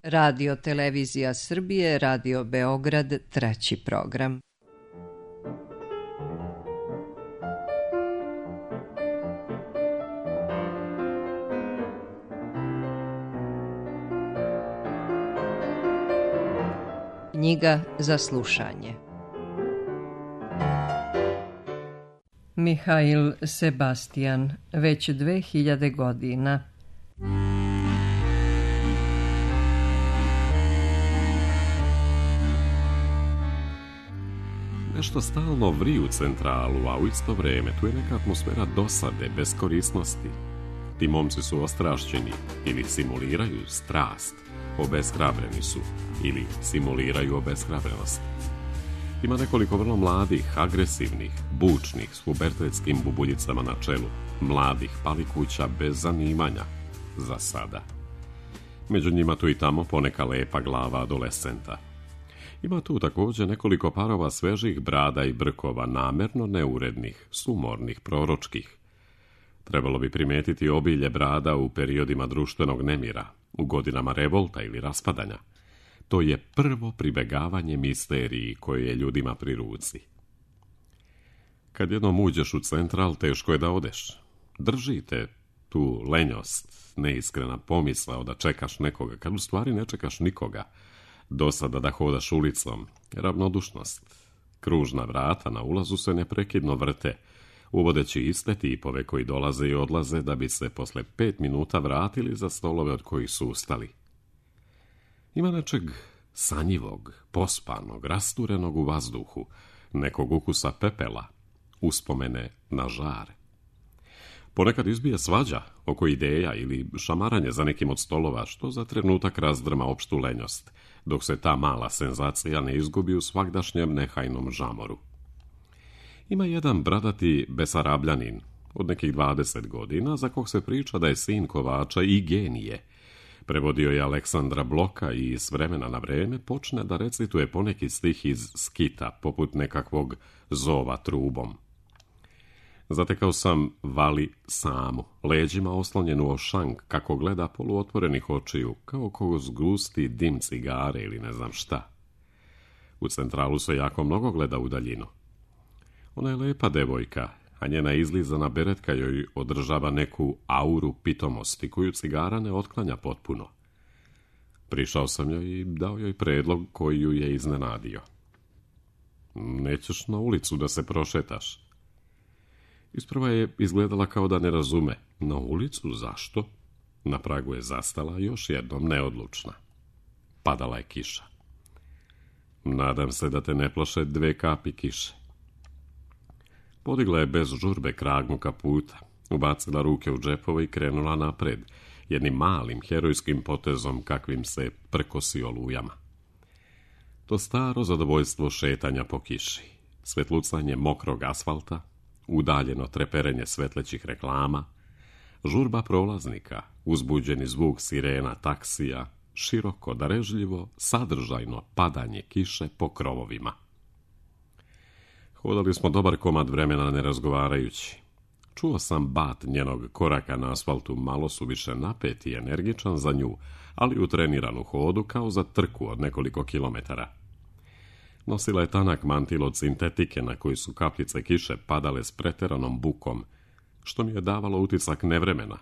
Radio Televizija Srbije, Radio Beograd, 3. program. Knjiga za slušanje. Mihail Sebastian, već 2000 godina. Nešto stalno vri u centralu, a u isto vrijeme tu je neka atmosfera dosade, beskorisnosti. Ti momci su ostrašćeni ili simuliraju strast, obeshrabreni su ili simuliraju obeshrabrenost. Ima nekoliko vrlo mladih, agresivnih, bučnih, s pubertetskim bubuljicama na čelu, mladih palikuća bez zanimanja, za sada. Među njima tu i tamo poneka lepa glava adolescenta. Ima tu također nekoliko parova svežih brada i brkova, namerno neurednih, sumornih, proročkih. Trebalo bi primijetiti obilje brada u periodima društvenog nemira, u godinama revolta ili raspadanja. To je prvo pribegavanje misteriji koje je ljudima pri ruci. Kad jednom uđeš u central, teško je da odeš. Držite tu lenjost, neiskrena pomisao da čekaš nekoga, kad u stvari ne čekaš nikoga. Dosada da hodaš ulicom, ravnodušnost. Kružna vrata na ulazu se neprekidno vrte, uvodeći iste tipove koji dolaze i odlaze da bi se posle 5 minuta vratili za stolove od kojih su ustali. Ima nečeg sanjivog, pospanog, rasturenog u vazduhu, nekog ukusa pepela, uspomene na žar. Ponekad izbije svađa oko ideja ili šamaranje za nekim od stolova, što za trenutak razdrma opštu lenjost, dok se ta mala senzacija ne izgubi u svagdašnjem nehajnom žamoru. Ima jedan bradati Besarabljanin od nekih 20 godina, za kog se priča da je sin kovača i genije. Prevodio je Aleksandra Bloka i s vremena na vreme počne da recituje poneki stih iz skita, poput nekakvog zova trubom. Zatekao sam Vali samu, leđima oslonjenu o šank, kako gleda poluotvorenih očiju, kao ko zgusti dim cigare ili ne znam šta. U centralu se jako mnogo gleda u daljinu. Ona je lepa devojka, a njena izlizana beretka joj održava neku auru pitomosti, koju cigara ne otklanja potpuno. Prišao sam joj i dao joj predlog koji ju je iznenadio. Nećeš na ulicu da se prošetaš? Isprva je izgledala kao da ne razume. Na ulicu? Zašto? Na pragu je zastala, još jednom neodlučna. Padala je kiša. Nadam se da te ne plaše 2 kapi kiše. Podigla je bez žurbe kragnu kaputa, ubacila ruke u džepove i krenula napred, jednim malim herojskim potezom kakvim se prkosi olujama. To staro zadovoljstvo šetanja po kiši, svetlucanje mokrog asfalta, udaljeno treperenje svetlećih reklama, žurba prolaznika, uzbuđeni zvuk sirena taksija, široko, darežljivo, sadržajno padanje kiše po krovovima. Hodali smo dobar komad vremena ne razgovarajući. Čuo sam bat njenog koraka na asfaltu, malo suviše napet i energičan za nju, ali utreniran u hodu kao za trku od nekoliko kilometara. Nosila je tanak mantil od sintetike na koji su kapljice kiše padale s preteranom bukom, što mi je davalo utisak nevremena,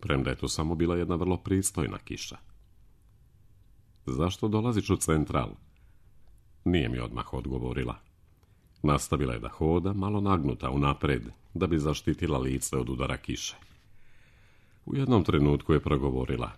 premda je to samo bila jedna vrlo pristojna kiša. Zašto dolaziš u central? Nije mi odmah odgovorila. Nastavila je da hoda, malo nagnuta unapred, da bi zaštitila lice od udara kiše. U jednom trenutku je progovorila.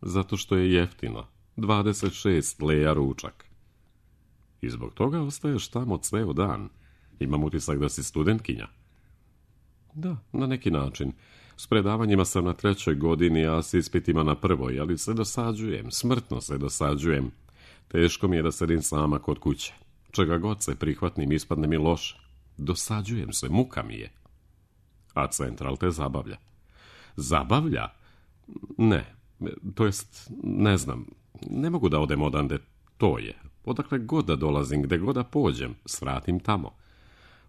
Zato što je jeftino, 26 leja ručak. I zbog toga ostaješ tamo ceo dan. Imam utisak da si studentkinja. Da, na neki način. S predavanjima sam na 3. godini, a s ispitima na 1. ali se dosađujem, smrtno se dosađujem. Teško mi je da sedim sama kod kuće. Čega god se prihvatnim, ispadne mi loše. Dosađujem se, muka mi je. A central te zabavlja. Zabavlja? Ne, to jest, ne znam. Ne mogu da odem odande, to je. Odakle god da dolazim, gde god da pođem, svratim tamo.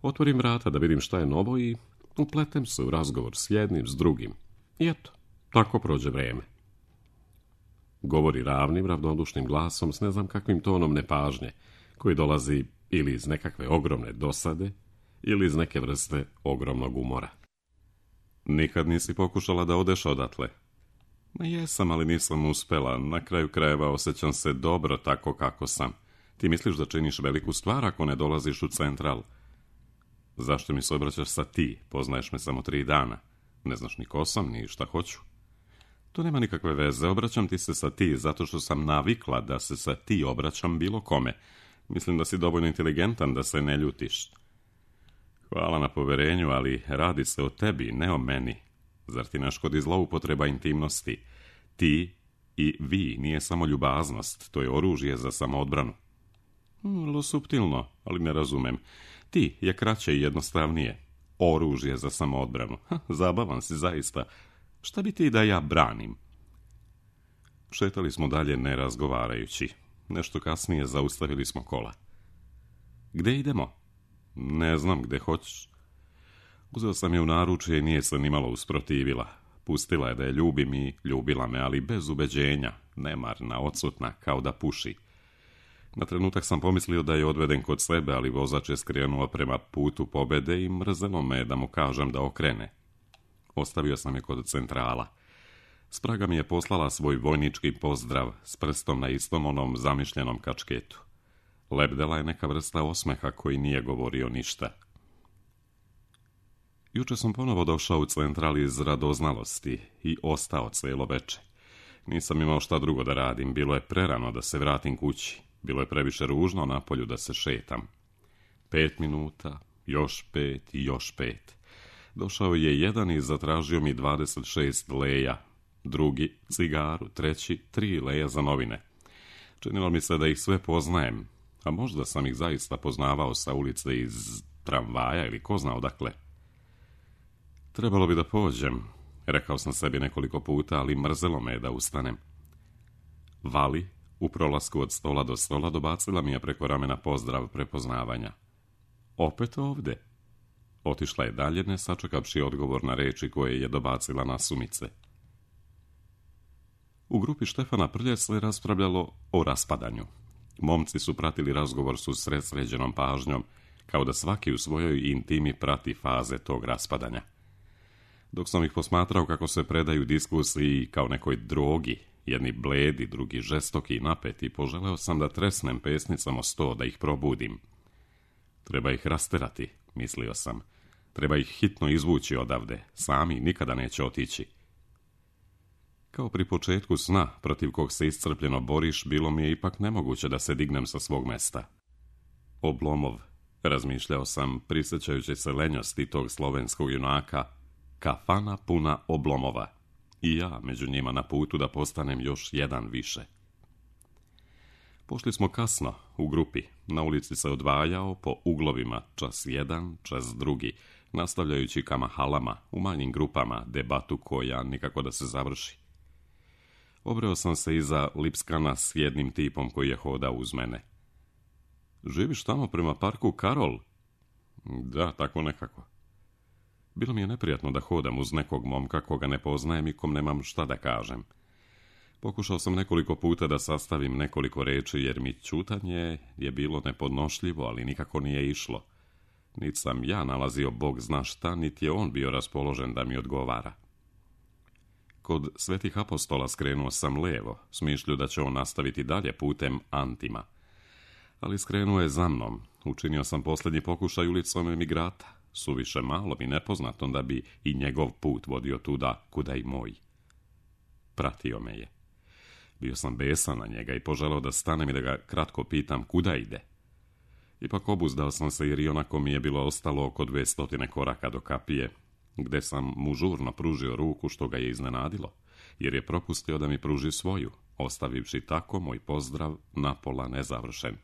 Otvorim vrata da vidim šta je novo i upletem se u razgovor s jednim, s drugim. I eto, tako prođe vreme. Govori ravnim, ravnodušnim glasom s ne znam kakvim tonom nepažnje, koji dolazi ili iz nekakve ogromne dosade, ili iz neke vrste ogromnog umora. Nikad nisi pokušala da odeš odatle? Ma jesam, ali nisam uspela. Na kraju krajeva osjećam se dobro tako kako sam. Ti misliš da činiš veliku stvar ako ne dolaziš u Central? Zašto mi se obraćaš sa ti? Poznaješ me samo 3 dana. Ne znaš ni ko sam, ni šta hoću. To nema nikakve veze. Obraćam ti se sa ti zato što sam navikla da se sa ti obraćam bilo kome. Mislim da si dovoljno inteligentan da se ne ljutiš. Hvala na poverenju, ali radi se o tebi, ne o meni. Zar ti ne škodi zloupotreba intimnosti? Ti i vi nije samo ljubaznost, to je oružje za samoodbranu. Vrlo suptilno, ali ne razumem. Ti je kraće i jednostavnije. Oružje za samoodbranu. Zabavan si zaista. Šta bi ti da ja branim? Šetali smo dalje ne razgovarajući. Nešto kasnije zaustavili smo kola. Gde idemo? Ne znam, gde hoćeš. Uzeo sam je u naručje i nije se nimalo usprotivila. Pustila je da je ljubim i ljubila me, ali bez ubeđenja, nemarna, odsutna, kao da puši. Na trenutak sam pomislio da je odveden kod sebe, ali vozač je skrenuo prema putu pobede i mrzelo me da mu kažem da okrene. Ostavio sam je kod Centrala. Spraga mi je poslala svoj vojnički pozdrav s prstom na istom onom zamišljenom kačketu. Lebdela je neka vrsta osmeha koji nije govorio ništa. Juče sam ponovo došao u Central iz radoznalosti i ostao cijelo veče. Nisam imao šta drugo da radim, bilo je prerano da se vratim kući. Bilo je previše ružno na polju da se šetam. 5 minuta, još 5 i još 5. Došao je jedan i zatražio mi 26 leja, drugi cigaru, treći 3 leja za novine. Činilo mi se da ih sve poznajem, a možda sam ih zaista poznavao sa ulice iz tramvaja ili ko zna odakle. Trebalo bi da pođem, rekao sam sebi nekoliko puta, ali mrzelo me da ustanem. Vali, u prolasku od stola do stola, dobacila mi je preko ramena pozdrav prepoznavanja. Opet ovde? Otišla je dalje, ne sačekavši odgovor na reči koje je dobacila nasumice. U grupi Štefana Prlje se raspravljalo o raspadanju. Momci su pratili razgovor s usredsređenom pažnjom, kao da svaki u svojoj intimi prati faze tog raspadanja. Dok sam ih posmatrao kako se predaju diskusiji kao nekoj drogi, jedni bledi, drugi žestoki i napeti, poželeo sam da tresnem pesnicama sto, da ih probudim. Treba ih rasterati, mislio sam. Treba ih hitno izvući odavde, sami nikada neće otići. Kao pri početku sna, protiv kog se iscrpljeno boriš, bilo mi je ipak nemoguće da se dignem sa svog mesta. Oblomov, razmišljao sam, prisjećajući se lenjosti tog slovenskog junaka, kafana puna Oblomova. I ja među njima na putu da postanem još jedan više. Pošli smo kasno, u grupi. Na ulici se odvajao po uglovima, čas jedan, čas drugi, nastavljajući ka mahalama, u manjim grupama, debatu koja nikako da se završi. Obreo sam se iza Lipskana s jednim tipom koji je hodao uz mene. Živiš tamo prema parku Karol? Da, tako nekako. Bilo mi je neprijatno da hodam uz nekog momka koga ne poznajem i kom nemam šta da kažem. Pokušao sam nekoliko puta da sastavim nekoliko reči, jer mi ćutanje je bilo nepodnošljivo, ali nikako nije išlo. Niti sam ja nalazio Bog zna šta, niti je on bio raspoložen da mi odgovara. Kod Svetih apostola skrenuo sam levo, s mišlju da će on nastaviti dalje putem Antima. Ali skrenuo je za mnom. Učinio sam posljednji pokušaj ulicom Emigrata, suviše malom i nepoznatom da bi i njegov put vodio tuda kuda i moj. Pratio me je. Bio sam besan na njega i poželeo da stanem i da ga kratko pitam kuda ide. Ipak obuzdao sam se jer i onako mi je bilo ostalo oko 200 koraka do kapije, gde sam mu žurno pružio ruku, što ga je iznenadilo, jer je propustio da mi pruži svoju, ostavivši tako moj pozdrav napola nezavršen.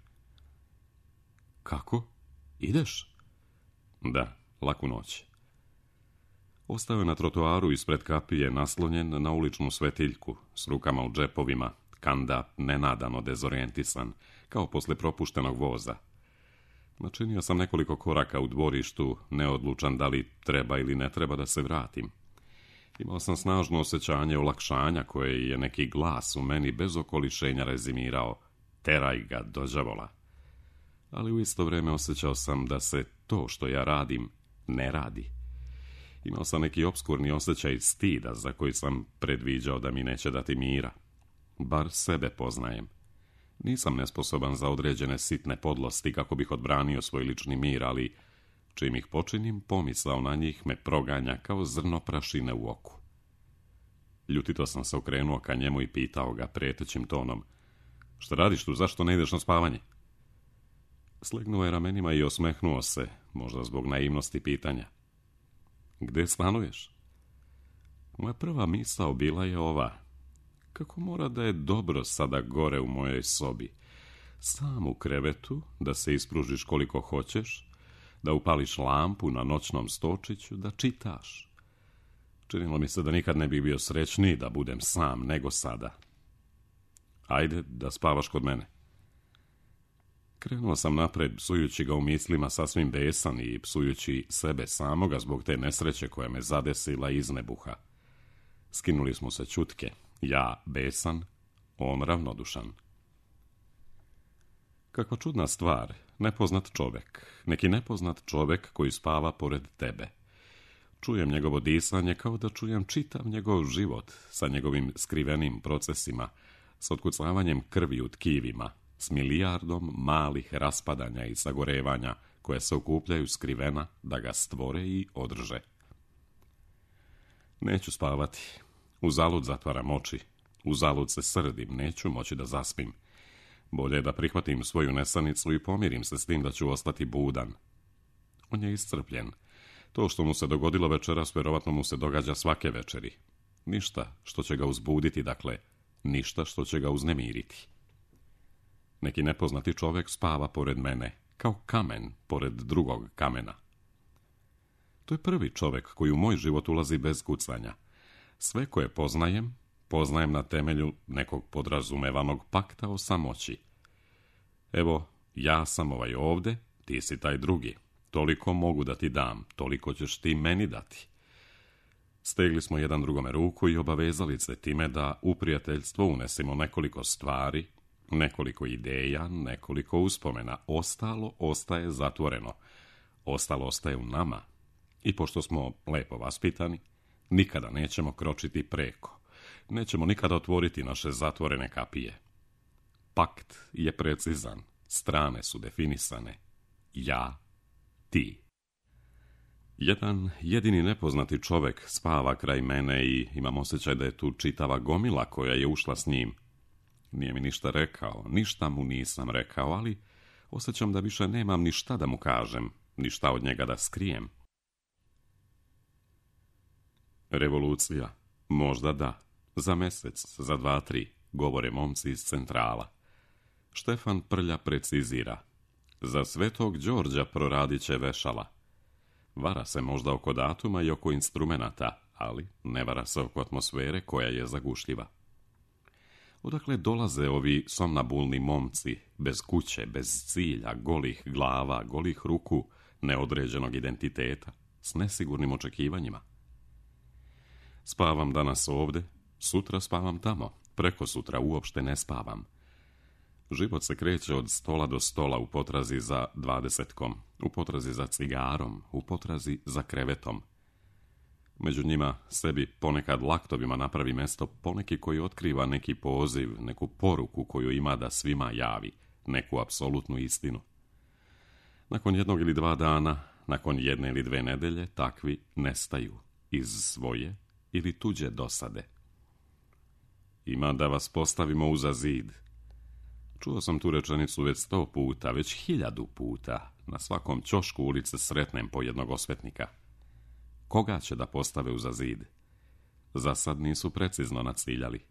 Kako? Ideš? Da, laku noć. Ostao je na trotoaru ispred kapije, naslonjen na uličnu svetiljku, s rukama u džepovima, kanda nenadano dezorijentisan, kao posle propuštenog voza. Načinio sam nekoliko koraka u dvorištu, neodlučan da li treba ili ne treba da se vratim. Imao sam snažno osjećanje olakšanja koje je neki glas u meni bez okolišenja rezimirao: teraj ga do đavola. Ali u isto vrijeme osjećao sam da se to što ja radim ne radi. Imao sam neki opskurni osjećaj stida za koji sam predviđao da mi neće dati mira. Bar sebe poznajem. Nisam nesposoban za određene sitne podlosti kako bih odbranio svoj lični mir, ali čim ih počinim, pomisao na njih me proganja kao zrno prašine u oku. Ljutito sam se okrenuo ka njemu i pitao ga prijetećim tonom: šta radiš tu, zašto ne ideš na spavanje? Slegnuo je ramenima i osmehnuo se, možda zbog naivnosti pitanja: gdje stanuješ? Moja prva misao bila je ova: kako mora da je dobro sada gore u mojoj sobi, sam u krevetu, da se ispružiš koliko hoćeš, da upališ lampu na noćnom stočiću, da čitaš. Činilo mi se da nikad ne bih bio srećniji da budem sam nego sada. Ajde da spavaš kod mene. Krenuo sam napred, psujući ga u mislima sasvim besan i psujući sebe samoga zbog te nesreće koja me zadesila iz nebuha. Skinuli smo se čutke, ja besan, on ravnodušan. Kakva čudna stvar, nepoznat čovjek, neki nepoznat čovjek koji spava pored tebe. Čujem njegovo disanje kao da čujem čitav njegov život sa njegovim skrivenim procesima, s otkucavanjem krvi u tkivima, s milijardom malih raspadanja i sagorevanja koje se okupljaju skrivena da ga stvore i održe. Neću spavati. Uzalud zatvaram oči. Uzalud se srdim, neću moći da zaspim. Bolje je da prihvatim svoju nesanicu i pomirim se s tim da ću ostati budan. On je iscrpljen. To što mu se dogodilo večeras, vjerovatno mu se događa svake večeri. Ništa što će ga uzbuditi, dakle, ništa što će ga uznemiriti. Neki nepoznati čovjek spava pored mene, kao kamen pored drugog kamena. To je prvi čovjek koji u moj život ulazi bez kucanja. Sve koje poznajem, poznajem na temelju nekog podrazumevanog pakta o samoći. Evo, ja sam ovaj ovde, ti si taj drugi. Toliko mogu da ti dam, toliko ćeš ti meni dati. Stegli smo jedan drugome ruku i obavezali se time da u prijateljstvo unesimo nekoliko stvari, nekoliko ideja, nekoliko uspomena. Ostalo ostaje zatvoreno. Ostalo ostaje u nama. I pošto smo lepo vaspitani, nikada nećemo kročiti preko. Nećemo nikada otvoriti naše zatvorene kapije. Pakt je precizan. Strane su definisane. Ja, ti. Jedan jedini nepoznati čovjek spava kraj mene i imam osjećaj da je tu čitava gomila koja je ušla s njim. Nije mi ništa rekao, ništa mu nisam rekao, ali osjećam da više nemam ništa da mu kažem, ništa od njega da skrijem. Revolucija? Možda da. Za mjesec, za 2-3, govore momci iz centrala. Štefan Prlja precizira: za Svetog Đorđa proradit će vešala. Vara se možda oko datuma i oko instrumenata, ali ne vara se oko atmosfere koja je zagušljiva. Odakle dolaze ovi somnabulni momci, bez kuće, bez cilja, golih glava, golih ruku, neodređenog identiteta, s nesigurnim očekivanjima? Spavam danas ovde, sutra spavam tamo, preko sutra uopšte ne spavam. Život se kreće od stola do stola u potrazi za 20-kom, u potrazi za cigarom, u potrazi za krevetom. Među njima sebi ponekad laktovima napravi mesto poneki koji otkriva neki poziv, neku poruku koju ima da svima javi, neku apsolutnu istinu. Nakon 1 ili 2 dana, nakon 1 ili 2 nedelje, takvi nestaju iz svoje ili tuđe dosade. Ima da vas postavimo uza zid. Čuo sam tu rečenicu već 100 puta, već 1000 puta. Na svakom ćošku ulice sretnem po jednog osvetnika. Koga će da postave uza zid? Za sad nisu precizno naciljali.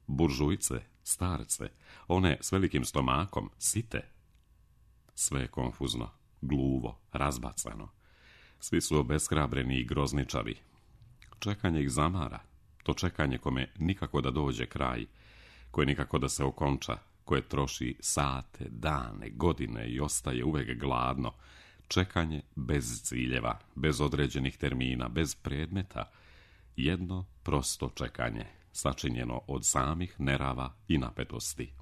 Buržujce, starce, one s velikim stomakom, site. Sve je konfuzno, gluvo, razbacano. Svi su obeshrabreni i grozničavi. Čekanje ih zamara. To čekanje kome nikako da dođe kraj, koje nikako da se okonča, koje troši sate, dane, godine i ostaje uvek gladno. Čekanje bez ciljeva, bez određenih termina, bez predmeta, jedno prosto čekanje, sačinjeno od samih nerava i napetosti.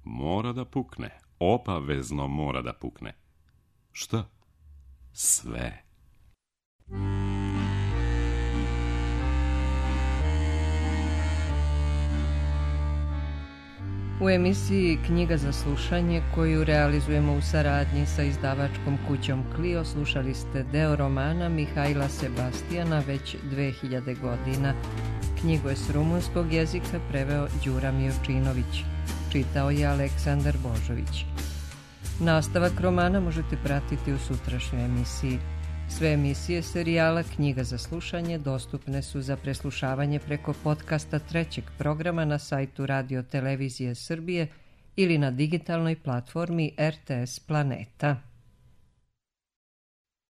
Mora da pukne, obavezno mora da pukne. Šta? Sve. U emisiji Knjiga za slušanje, koju realizujemo u saradnji sa izdavačkom kućom Clio, slušali ste deo romana Mihajla Sebastijana Već 2000 godina. Knjigu je s rumunskog jezika preveo Đura Mijovčinović. Čitao je Aleksandar Božović. Nastavak romana možete pratiti u sutrašnjoj emisiji. Sve emisije serijala Knjiga za slušanje dostupne su za preslušavanje preko podcasta trećeg programa na sajtu Radio Televizije Srbije ili na digitalnoj platformi RTS Planeta.